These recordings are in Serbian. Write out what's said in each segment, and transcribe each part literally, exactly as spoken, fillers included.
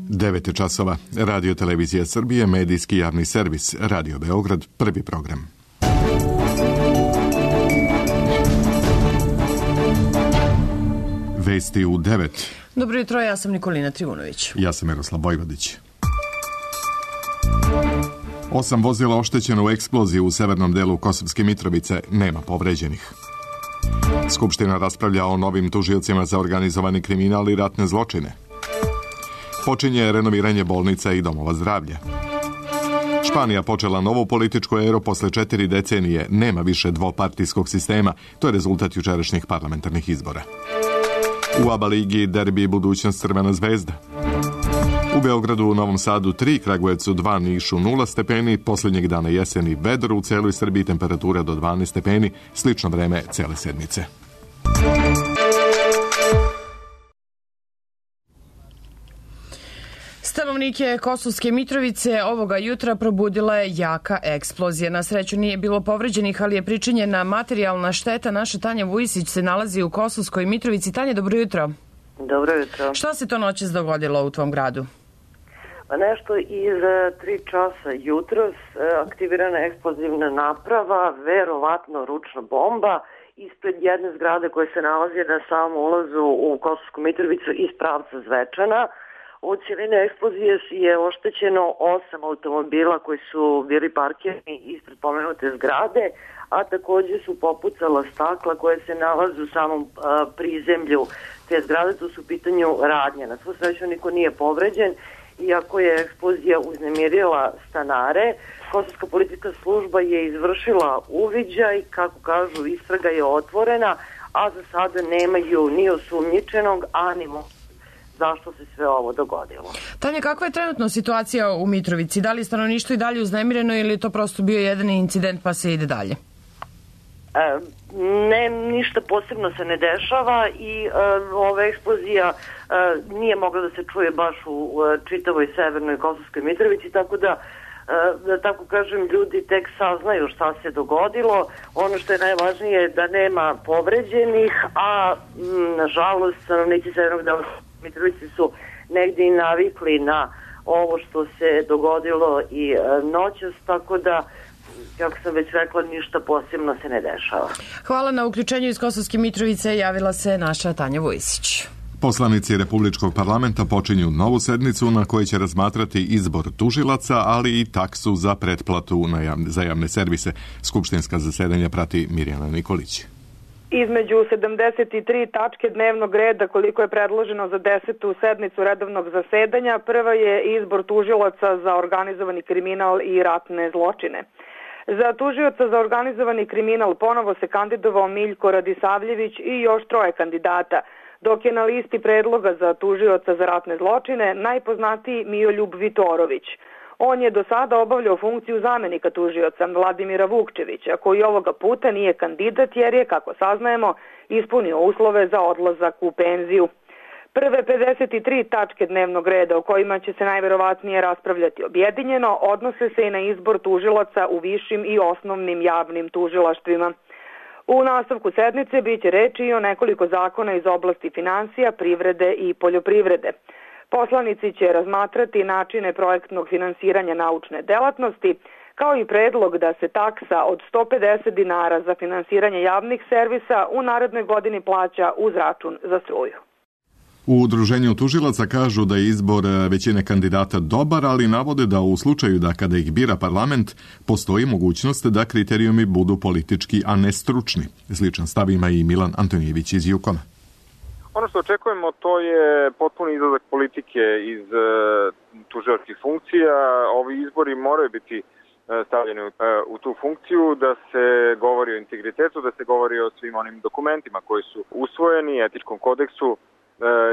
devet je časova. Radio Televizija Srbije, medijski javni servis, Radio Beograd, prvi program. Vesti u devet. Dobro jutro, ja sam Nikolina Trivunović. Ja sam Miroslav Vojvodić. Osam vozila oštećeno u eksploziji u severnom delu Kosovske Mitrovice, nema povređenih. Skupština raspravlja o novim tužiocima za organizovani kriminal i ratne zločine. Počinje renoviranje bolnica i domova zdravlja. Španija počela novu političku eru posle četiri decenije. Nema više dvopartijskog sistema. To je rezultat jučerašnjih parlamentarnih izbora. U ABA ligi derbi budućnost Crvena zvezda. U Beogradu, u Novom Sadu tri, Kragujevcu dva, Nišu nula stepeni, posljednjeg dana jeseni vedro, u celoj Srbiji temperatura do dvanaest stepeni, slično vreme cele sedmice. Stanovnike Kosovske Mitrovice ovoga jutra probudila je jaka eksplozija. Na sreću nije bilo povređenih, ali je pričinjena materijalna šteta. Naša Tanja Vujisić se nalazi u Kosovskoj Mitrovici. Tanja, dobro jutro. Dobro jutro. Šta se to noćas dogodilo u tvom gradu? Pa nešto iz tri časa jutros aktivirana eksplozivna naprava, verovatno ručna bomba, ispred jedne zgrade koje se nalazi na samom ulazu u Kosovsku Mitrovicu iz pravca Zvečana. U cijeline eksplozije je oštećeno osam automobila koji su bili parkirani ispred pomenute zgrade, a također su popucala stakla koje se nalaze u samom a, prizemlju te zgrade. Tu su u pitanju radnje. Na svu sreću niko nije povređen, iako je eksplozija uznemirila stanare. Kosovska policijska služba je izvršila uviđaj, kako kažu, istraga je otvorena, a za sada nemaju ni osumnjičenog, a ni zašto se sve ovo dogodilo. Tanja, kakva je trenutno situacija u Mitrovici? Da li je stanovništvo i dalje uznemireno ili je to prosto bio jedan incident pa se ide dalje? E, ne, ništa posebno se ne dešava i e, ova eksplozija e, nije mogla da se čuje baš u e, čitavoj severnoj Kosovskoj Mitrovici, tako da da tako kažem, ljudi tek saznaju šta se dogodilo. Ono što je najvažnije je da nema povređenih, a m, nažalost stanovnici severnog dela Mitrovice su negdje i navikli na ovo što se dogodilo i e, noćas, tako da, kako sam već rekla, ništa posebno se ne dešava. Hvala na uključenju iz Kosovske Mitrovice. Javila se naša Tanja Vujisić. Poslanici Republičkog parlamenta počinju novu sednicu na kojoj će razmatrati izbor tužilaca, ali i taksu za pretplatu na javne, za javne servise. Skupštinska zasedanja prati Mirjana Nikolić. Između sedamdeset tri tačke dnevnog reda koliko je predloženo za desetu sednicu redovnog zasedanja, prva je izbor tužilaca za organizovani kriminal i ratne zločine. Za tužioca za organizovani kriminal ponovo se kandidovao Miljko Radisavljević i još troje kandidata, dok je na listi predloga za tužioca za ratne zločine najpoznatiji Mijoljub Vitorović. On je do sada obavljao funkciju zamenika tužioca Vladimira Vukčevića, koji ovoga puta nije kandidat jer je, kako saznajemo, ispunio uslove za odlazak u penziju. Prve pedeset tri tačke dnevnog reda o kojima će se najverovatnije raspravljati objedinjeno odnose se i na izbor tužilaca u višim i osnovnim javnim tužilaštvima. U nastavku sednice biće reči i o nekoliko zakona iz oblasti finansija, privrede i poljoprivrede. Poslanici će razmatrati načine projektnog finansiranja naučne delatnosti, kao i predlog da se taksa od sto pedeset dinara za finansiranje javnih servisa u narednoj godini plaća uz račun za struju. U udruženju tužilaca kažu da je izbor većine kandidata dobar, ali navode da u slučaju da kada ih bira parlament, postoji mogućnost da kriterijumi budu politički, a ne stručni. Sličan stav ima i Milan Antonijević iz Jukona. Ono što očekujemo to je potpuni izlazak politike iz uh, tužilačkih funkcija. Ovi izbori moraju biti uh, stavljeni uh, u tu funkciju, da se govori o integritetu, da se govori o svim onim dokumentima koji su usvojeni, etičkom kodeksu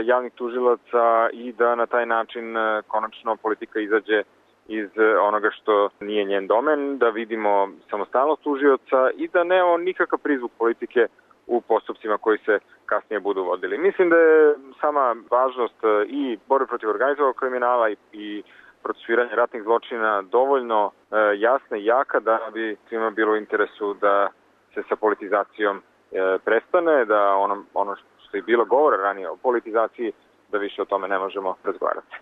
javnih tužilaca i da na taj način konačno politika izađe iz onoga što nije njen domen, da vidimo samostalnost tužioca i da nemamo nikakav prizvuk politike u postupcima koji se kasnije budu vodili. Mislim da je sama važnost i borbe protiv organizovanog kriminala i, i procesuiranja ratnih zločina dovoljno e, jasna i jaka da bi svima bilo u interesu da se sa politizacijom e, prestane, da ono, ono što je bilo govora ranije o politizaciji, da više o tome ne možemo razgovarati.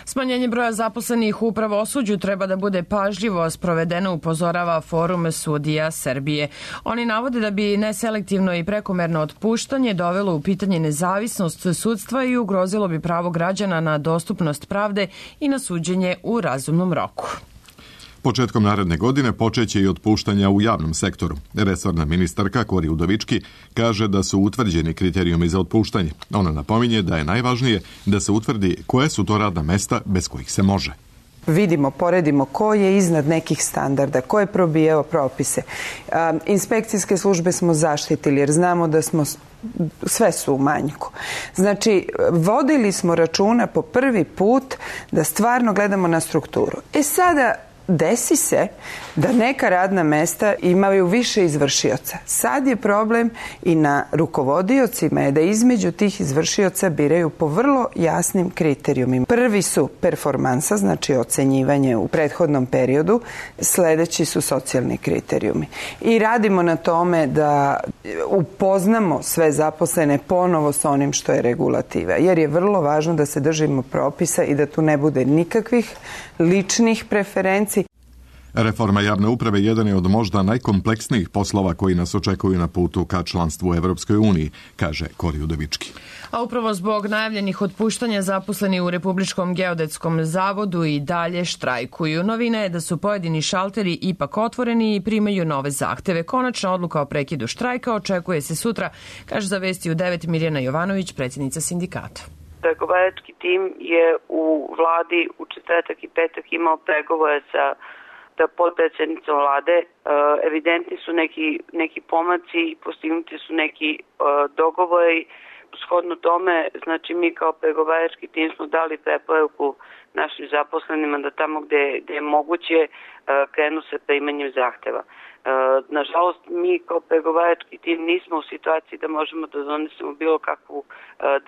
Smanjenje broja zaposlenih u pravosuđu treba da bude pažljivo sprovedeno, upozorava Forum sudija Srbije. Oni navode da bi neselektivno i prekomerno otpuštanje dovelo u pitanje nezavisnost sudstva i ugrozilo bi pravo građana na dostupnost pravde i na suđenje u razumnom roku. Početkom naredne godine počeće i otpuštanja u javnom sektoru. Resorna ministarka Kori Udovički kaže da su utvrđeni kriterijumi za otpuštanje. Ona napominje da je najvažnije da se utvrdi koje su to radna mesta bez kojih se može. Vidimo, poredimo ko je iznad nekih standarda, ko je probijao propise. Inspekcijske službe smo zaštitili jer znamo da smo sve su u manjku. Znači, vodili smo računa po prvi put da stvarno gledamo na strukturu. E sada, desi se da neka radna mesta imaju više izvršioca. Sad je problem i na rukovodiocima je da između tih izvršioca biraju po vrlo jasnim kriterijumima. Prvi su performansa, znači ocenjivanje u prethodnom periodu, sledeći su socijalni kriterijumi. I radimo na tome da upoznamo sve zaposlene ponovo sa onim što je regulativa, jer je vrlo važno da se držimo propisa i da tu ne bude nikakvih ličnih preferenci. Reforma javne uprave jedan je od možda najkompleksnijih poslova koji nas očekuju na putu ka članstvu u Evropskoj uniji, kaže Kori Udovički. A upravo zbog najavljenih otpuštanja zaposleni u Republičkom geodetskom zavodu i dalje štrajkuju. Novina je da su pojedini šalteri ipak otvoreni i primaju nove zahteve. Konačna odluka o prekidu štrajka očekuje se sutra, kaže za Vesti u devet Mirjana Jovanović, predsjednica sindikata. Pregovarački tim je u vladi u četvrtak i petak imao pregovore sa potpredsjednicom vlade. Evidentni su neki, neki pomaci, postignuti su neki dogovori. Shodno tome, znači mi kao pregovarački tim smo dali preporuku našim zaposlenima da tamo gde, gde je moguće krenu sa primanjem zahteva. Nažalost, mi kao pregovarački tim nismo u situaciji da možemo da donesemo bilo kakvu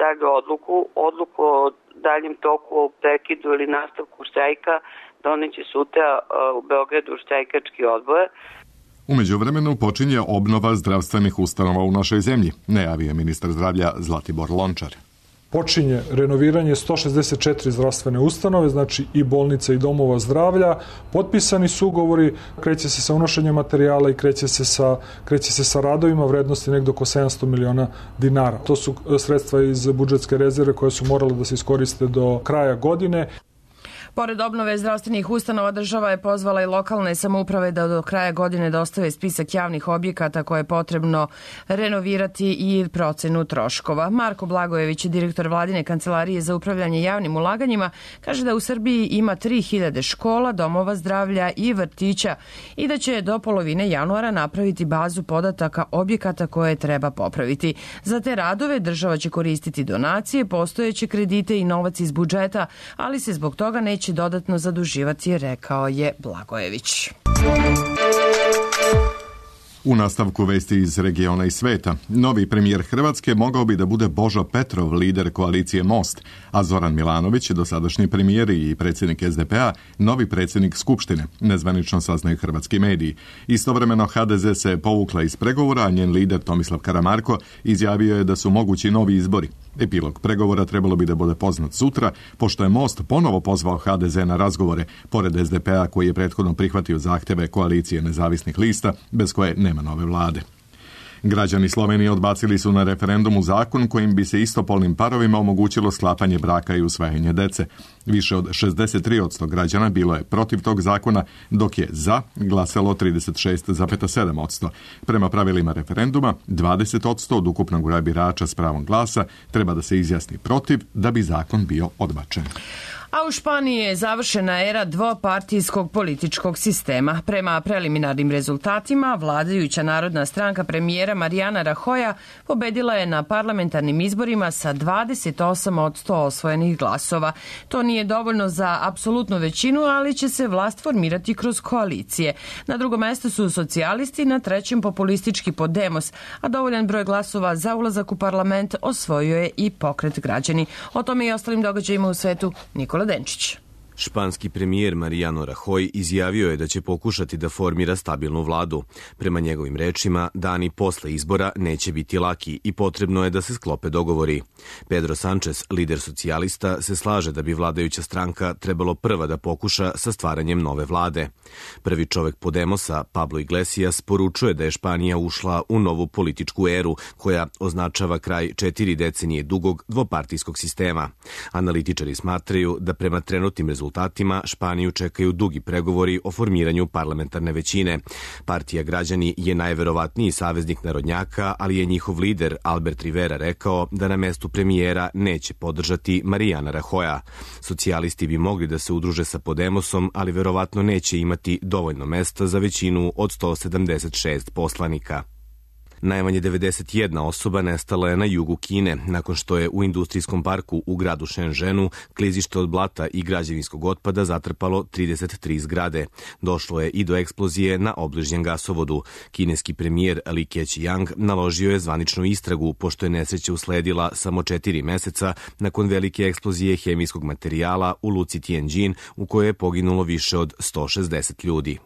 dalju odluku. Odluku o daljem toku, o prekidu ili nastavku štrajka doneće sutra u Beogradu štrajkački odbor. U međuvremenu počinje obnova zdravstvenih ustanova u našoj zemlji, najavio je ministar zdravlja Zlatibor Lončar. Počinje renoviranje sto šezdeset četiri zdravstvene ustanove, znači i bolnica i domova zdravlja. Potpisani su ugovori, kreće se sa unošenjem materijala i kreće se sa, kreće se sa radovima vrednosti negdje oko sedamsto miliona dinara. To su sredstva iz budžetske rezerve koje su morale da se iskoriste do kraja godine. Pored obnove zdravstvenih ustanova, država je pozvala i lokalne samouprave da do kraja godine dostave spisak javnih objekata koje je potrebno renovirati i procenu troškova. Marko Blagojević, direktor Vladine kancelarije za upravljanje javnim ulaganjima, kaže da u Srbiji ima tri hiljade škola, domova zdravlja i vrtića i da će do polovine januara napraviti bazu podataka objekata koje treba popraviti. Za te radove država će koristiti donacije, postojeće kredite i novac iz budžeta, ali se zbog toga neće dodatno zaduživati, rekao je Blagojević. U nastavku vesti iz regiona i sveta, novi premijer Hrvatske mogao bi da bude Božo Petrov, lider koalicije Most, a Zoran Milanović, dosadašnji premijer i predsjednik es de pe a, novi predsjednik Skupštine, nezvanično saznaju hrvatski mediji. Istovremeno ha de ze se povukla iz pregovora, a njen lider Tomislav Karamarko izjavio je da su mogući novi izbori. Epilog pregovora trebalo bi da bude poznat sutra, pošto je Most ponovo pozvao ha de ze na razgovore, pored es de pe a koji je prethodno prihvatio zahteve koalicije nezavisnih lista, bez koje nema nove vlade. Građani Slovenije odbacili su na referendumu zakon kojim bi se istopolnim parovima omogućilo sklapanje braka i usvajanje dece. Više od šezdeset tri posto građana bilo je protiv tog zakona, dok je za glasalo trideset šest zarez sedam posto. Prema pravilima referenduma, dvadeset posto od ukupnog broja birača s pravom glasa treba da se izjasni protiv da bi zakon bio odbačen. A u Španiji je završena era dvopartijskog političkog sistema. Prema preliminarnim rezultatima, vladajuća narodna stranka premijera Mariana Rajoya pobedila je na parlamentarnim izborima sa dvadeset osam posto osvojenih glasova. To nije dovoljno za apsolutnu većinu, ali će se vlast formirati kroz koalicije. Na drugom mestu su socijalisti, na trećem populistički Podemos, a dovoljan broj glasova za ulazak u parlament osvojio je i Pokret građani. O tome i ostalim događajima u svetu Nikola Denčić. Španski premijer Mariano Rajoy izjavio je da će pokušati da formira stabilnu vladu. Prema njegovim rečima, dani posle izbora neće biti laki i potrebno je da se sklope dogovori. Pedro Sánchez, lider socijalista, se slaže da bi vladajuća stranka trebalo prva da pokuša sa stvaranjem nove vlade. Prvi čovek Podemosa, Pablo Iglesias, poručuje da je Španija ušla u novu političku eru koja označava kraj četiri decenije dugog dvopartijskog sistema. Analitičari smatraju da prema trenutnim rezultatima Španiju čekaju dugi pregovori o formiranju parlamentarne većine. Partija Građani je najverovatniji saveznik narodnjaka, ali je njihov lider Albert Rivera rekao da na mestu premijera neće podržati Mariana Rajoya. Socijalisti bi mogli da se udruže sa Podemosom, ali verovatno neće imati dovoljno mesta za većinu od sto sedamdeset šest poslanika. Najmanje devedeset jedna osoba nestala je na jugu Kine, nakon što je u industrijskom parku u gradu Shenzhenu klizište od blata i građevinskog otpada zatrpalo trideset tri zgrade. Došlo je i do eksplozije na obližnjem gasovodu. Kineski premijer Li Keqiang naložio je zvaničnu istragu, pošto je nesreća usledila samo četiri meseca nakon velike eksplozije hemijskog materijala u luci Tianjin, u kojoj je poginulo više od sto šezdeset ljudi.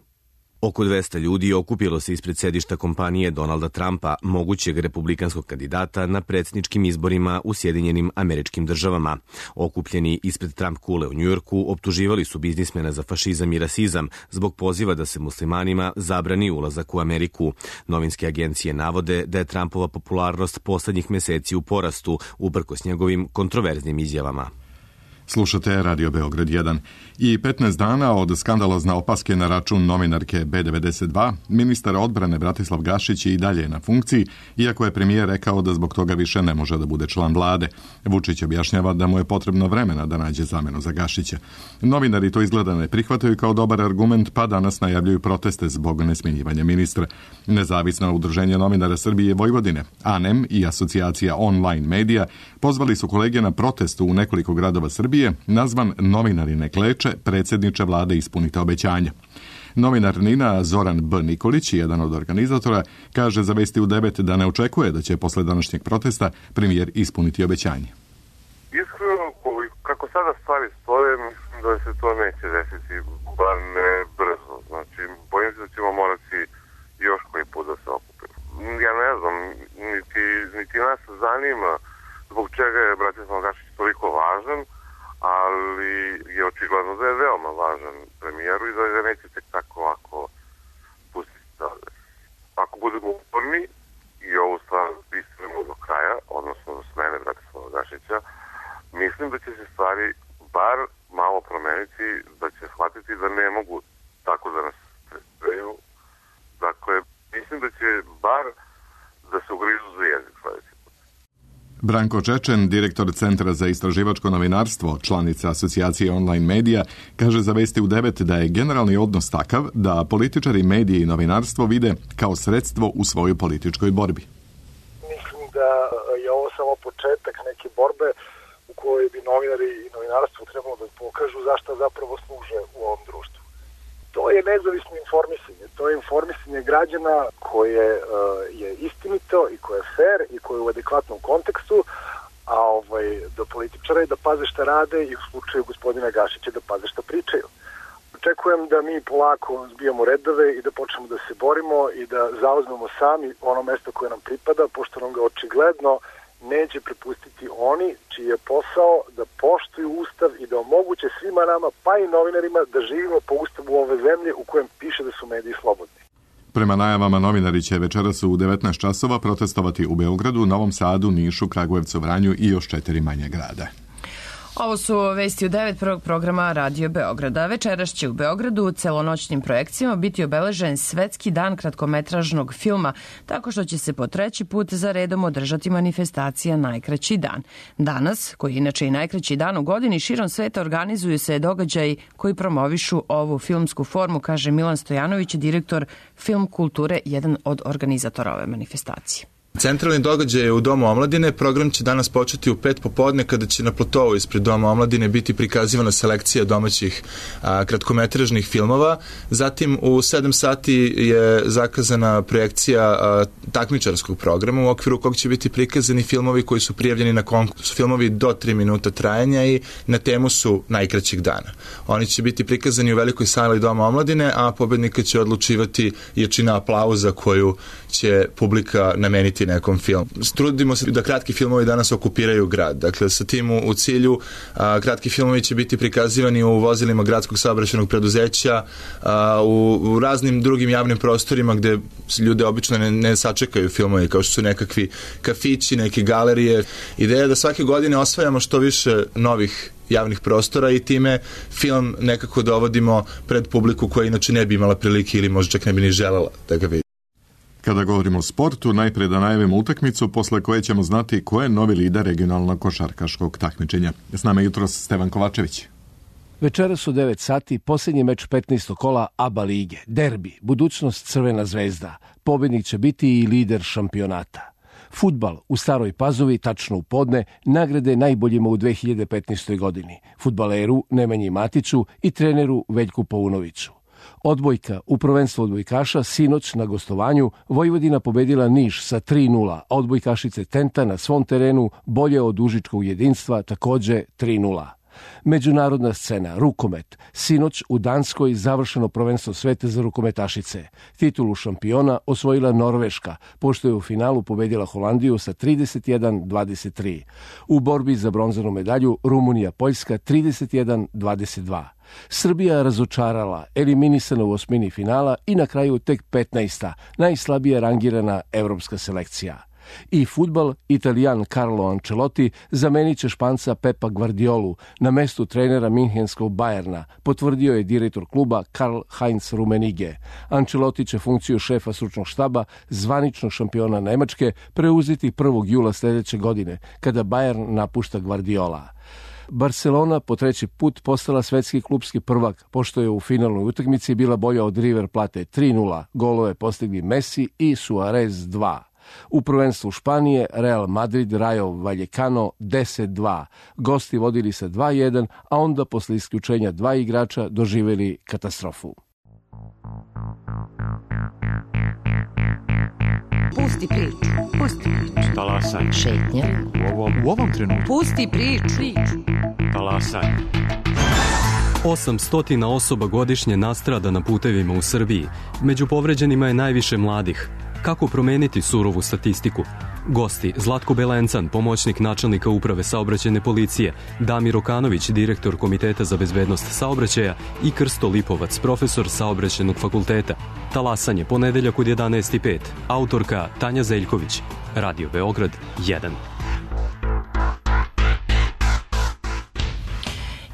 Oko dvesta ljudi okupilo se ispred sedišta kompanije Donalda Trumpa, mogućeg republikanskog kandidata na predsjedničkim izborima u Sjedinjenim Američkim Državama. Okupljeni ispred Trump kule u Njujorku optuživali su biznismena za fašizam i rasizam zbog poziva da se muslimanima zabrani ulazak u Ameriku. Novinske agencije navode da je Trumpova popularnost poslednjih meseci u porastu, uprkos njegovim kontroverznim izjavama. Slušate Radio Beograd jedan. I petnaest dana od skandalozne opaske na račun novinarke B devedeset dva, ministar odbrane Bratislav Gašić je i dalje na funkciji, iako je premijer rekao da zbog toga više ne može da bude član vlade. Vučić objašnjava da mu je potrebno vremena da nađe zamenu za Gašića. Novinari to izgleda ne prihvataju kao dobar argument, pa danas najavljuju proteste zbog nesmenjivanja ministra. Nezavisno udruženje novinara Srbije Vojvodine, A N E M i asocijacija Online Medija pozvali su kolege na protestu u nekoliko gradova Srbije, nazvan Novinari ne kleče, predsjedniče vlade ispunite obećanja. Novinar Nina Zoran B. Nikolić, jedan od organizatora, kaže za Vesti u devet da ne očekuje da će posle današnjeg protesta premijer ispuniti obećanje. Iskreno, kako sada stvari stoje, mislim da se to neće desiti, bar ne brzo. Znači, bojim se da ćemo morati još koji put da se okupimo. Ja ne znam, niti, niti nas zanima zbog čega je Bratislav Gašić toliko važan, ali je očigledno da je veoma važan premijeru i da ga neće tek tako ovako pustiti dalje. Ako budemo uporni i ovu stvar istremo do kraja, odnosno do smene Bratislava Gašića, mislim da će se stvari bar malo promeniti, da će shvatiti da ne mogu tako da nas tretiraju. Dakle, mislim da će bar da se ugrizu za jezik sledeći. Branko Čečen, direktor Centra za istraživačko novinarstvo, članica asocijacije Online Medija, kaže za Vesti u devet da je generalni odnos takav da političari, medije i novinarstvo vide kao sredstvo u svojoj političkoj borbi. Mislim da je ovo samo početak neke borbe u kojoj bi novinari i novinarstvo trebalo da pokažu zašto zapravo služe u ovom društvu. To je nezavisno informisanje, to je informisanje građana koje uh, je istinito i koje je fair i koje je u adekvatnom kontekstu, a ovaj, do političara je da paze šta rade i u slučaju gospodina Gašića da paze šta pričaju. Očekujem da mi polako zbijamo redove i da počnemo da se borimo i da zauzmemo sami ono mesto koje nam pripada, pošto nam ga očigledno neće prepustiti oni čiji je posao da poštuju Ustav i da omoguće svima nama, pa i novinarima, da živimo po Ustavu ove zemlje u kojem piše da su mediji slobodni. Prema najavama novinari će večeras u devetnaest časova protestovati u Beogradu, Novom Sadu, Nišu, Kragujevcu, Vranju i još četiri manje grada. Ovo su Vesti u devet prvog programa Radio Beograda. Večeras će u Beogradu celonoćnim projekcijama biti obeležen Svetski dan kratkometražnog filma, tako što će se po treći put za redom održati manifestacija Najkraći dan. Danas, koji je inače i najkraći dan u godini, širom sveta organizuju se događaji koji promovišu ovu filmsku formu, kaže Milan Stojanović, direktor Film kulture, jedan od organizatora ove manifestacije. Centralni događaj je u Domu omladine. Program će danas početi u pet popodne kada će na platovu ispred Doma omladine biti prikazivana selekcija domaćih a, kratkometražnih filmova. Zatim u sedam sati je zakazana projekcija a, takmičarskog programa u okviru kog će biti prikazani filmovi koji su prijavljeni na konkurs. Filmovi do tri minuta trajanja i na temu su najkraćeg dana. Oni će biti prikazani u velikoj sali Doma omladine, a pobednika će odlučivati jačina aplauza koju će publika nameniti nekom filmu. Trudimo se da kratki filmovi danas okupiraju grad. Dakle, sa tim u, u cilju a, kratki filmovi će biti prikazivani u vozilima gradskog saobraćajnog preduzeća, a, u, u raznim drugim javnim prostorima gde ljude obično ne, ne sačekaju filmovi, kao što su nekakvi kafići, neke galerije. Ideja je da svake godine osvajamo što više novih javnih prostora i time film nekako dovodimo pred publiku koja inače ne bi imala prilike ili možda čak ne bi ni želela da ga vidi. Kada govorimo o sportu, najpre da najavimo utakmicu posle koje ćemo znati ko je novi lider regionalnog košarkaškog takmičenja. S nama je jutros Stevan Kovačević. Večeras u devet sati posljednji meč petnaestog kola A B A lige. Derbi, budućnost Crvena zvezda. Pobednik će biti i lider šampionata. Fudbal u Staroj Pazovi, tačno u podne, nagrade najboljima u dve hiljade petnaestoj godini. Fudbaleru Nemanji Matiću i treneru Veljku Paunoviću. Odbojka u prvenstvu odbojkaša sinoć na gostovanju Vojvodina pobedila Niš sa tri nula, a odbojkašice Tenta na svom terenu bolje od užičkog jedinstva takođe tri nula. Međunarodna scena, rukomet. Sinoć u Danskoj završeno prvenstvo sveta za rukometašice. Titulu šampiona osvojila Norveška, pošto je u finalu pobedila Holandiju sa trideset jedan dvadeset tri. U borbi za bronzanu medalju Rumunija-Poljska trideset jedan dvadeset dva. Srbija razočarala, eliminisana u osmini finala i na kraju tek petnaesta, najslabije rangirana evropska selekcija. I fudbal, Italijan Carlo Ancelotti zamenit će Španca Pepa Guardiolu na mestu trenera Minhenskog Bayerna, potvrdio je direktor kluba Karl-Heinz Rummenigge. Ancelotti će funkciju šefa stručnog štaba zvaničnog šampiona Nemačke preuzeti prvog jula sljedeće godine, kada Bayern napušta Guardiola. Barcelona po treći put postala svetski klubski prvak, pošto je u finalnoj utakmici bila bolja od River Plate tri nula, golove postigli Messi i Suarez dva. U prvenstvu Španije Real Madrid Rayo Vallecano deset dva. Gosti vodili sa dva jedan, a onda posle isključenja dva igrača doživjeli katastrofu. Pusti priču. Pusti priču. Talasaj. Šetnja. U ovom, u ovom trenutku. Pusti priču. priču. Talasaj. osamsto osoba godišnje nastrada na putevima u Srbiji. Među povređenima je najviše mladih. Kako promeniti surovu statistiku? Gosti Zlatko Belencan, pomoćnik načelnika uprave saobraćajne policije, Damir Okanović, direktor Komiteta za bezbednost saobraćaja i Krsto Lipovac, profesor saobraćajnog fakulteta. Talasanje, ponedeljak od jedanaest i pet. Autorka Tanja Zeljković. Radio Beograd jedan.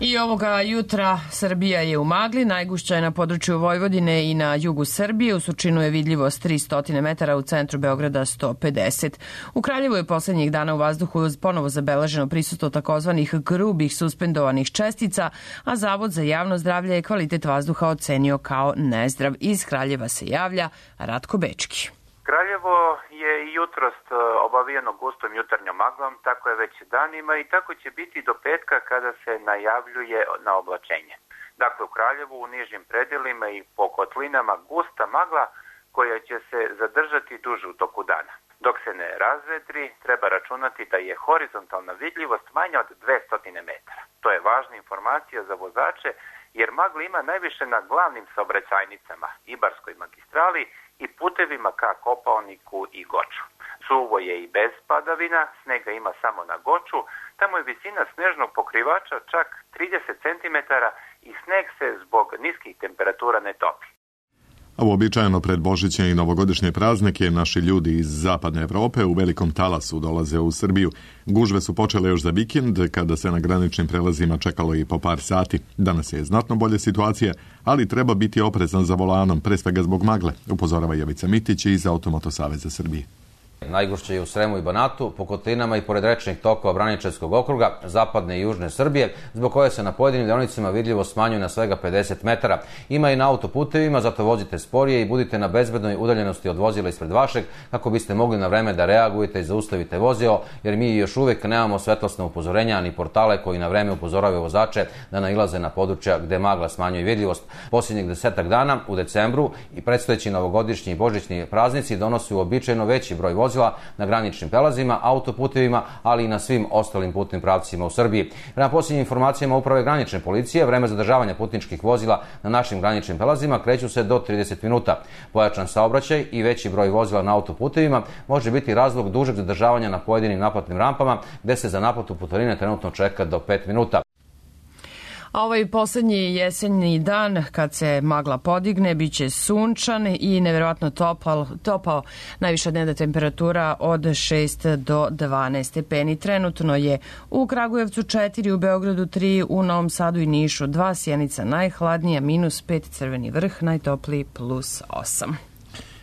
I ovoga jutra Srbija je u magli, najgušća je na području Vojvodine i na jugu Srbije, u Surčinu je vidljivost tristo metara, u centru Beograda sto pedeset. U Kraljevu je poslednjih dana u vazduhu ponovo zabeleženo prisustvo takozvanih grubih suspendovanih čestica, a Zavod za javno zdravlje je kvalitet vazduha ocenio kao nezdrav. Iz Kraljeva se javlja Ratko Bečki. Kraljevo je i jutros obavijeno gustom jutarnjom maglom, tako je već danima i tako će biti do petka kada se najavljuje na oblačenje. Dakle, u Kraljevu, u nižim predelima i po kotlinama gusta magla koja će se zadržati duže u toku dana. Dok se ne razvedri, treba računati da je horizontalna vidljivost manja od dvesta metara. To je važna informacija za vozače jer magla ima najviše na glavnim saobraćajnicama, Ibarskoj magistrali i putevima ka Kopaoniku i Goču. Suvo je i bez padavina, snega ima samo na Goču, tamo je visina snežnog pokrivača čak trideset centimetara i sneg se zbog niskih temperatura ne topi. A uobičajeno pred Božićne i novogodišnje praznike naši ljudi iz zapadne Evrope u velikom talasu dolaze u Srbiju. Gužve su počele još za vikend, kada se na graničnim prelazima čekalo i po par sati. Danas je znatno bolje situacija, ali treba biti oprezan za volanom, pre svega zbog magle, upozorava Jovica Mitić iz Automoto Saveza Srbije. Najgušće je u Sremu i Banatu, po kotlinama i pored rečnih tokova Braničevskog okruga, zapadne i južne Srbije, zbog koje se na pojedinim deonicama vidljivo smanjuje na svega pedeset metara. Ima i na autoputevima, zato vozite sporije i budite na bezbednoj udaljenosti od vozila ispred vašeg, kako biste mogli na vreme da reagujete i zaustavite vozilo, jer mi još uvijek nemamo svetlosna upozorenja ni portale koji na vreme upozoravaju vozače da nailaze na područja gde magla smanjuje vidljivost. Posljednjih desetak dana u decembru i predstojeći novogodišnji i božićni praznici donose uobičajeno veći broj vozila na graničnim prelazima, autoputevima, ali i na svim ostalim putnim pravcima u Srbiji. Prema posljednjim informacijama Uprave granične policije, vreme zadržavanja putničkih vozila na našim graničnim prelazima kreću se do trideset minuta. Pojačan saobraćaj i veći broj vozila na autoputevima može biti razlog dužeg zadržavanja na pojedinim naplatnim rampama, gde se za naplatu putarine trenutno čeka do pet minuta. A ovaj poslednji jesenji dan, kad se magla podigne, bit će sunčan i neverovatno topao, topao najviša dnevna temperatura od šest do dvanaest stepeni. Trenutno je u Kragujevcu četiri, u Beogradu tri, u Novom Sadu i Nišu dva, Sjenica najhladnija, minus pet, Crveni Vrh najtopliji, plus osam.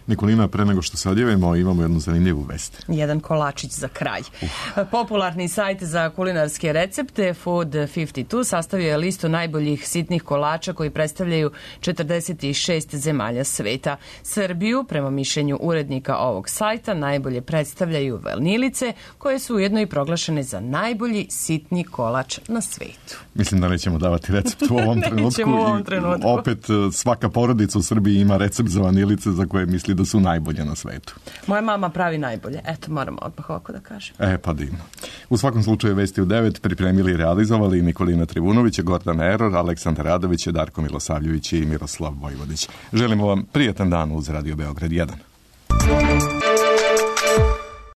Nikolina, pre nego što se odjevimo, imamo jednu zanimljivu vest. Jedan kolačić za kraj. Uh. Popularni sajt za kulinarske recepte Food pedeset dva sastavio je listu najboljih sitnih kolača koji predstavljaju četrdeset šest zemalja sveta. Srbiju, prema mišljenju urednika ovog sajta, najbolje predstavljaju vanilice, koje su ujedno i proglašene za najbolji sitni kolač na svetu. Mislim da nećemo davati recept u ovom trenutku. u ovom trenutku. Opet svaka porodica u Srbiji ima recept za vanilice za koje misli da su najbolje na svetu. Moja mama pravi najbolje. Eto, moramo odmah ovako da kažem. E, pa divno. U svakom slučaju Vesti u devet pripremili i realizovali Nikolina Trivunović, Gordana Eror, Aleksandar Radović, Darko Milosavljević i Miroslav Vojvodić. Želimo vam prijatan dan uz Radio Beograd jedan.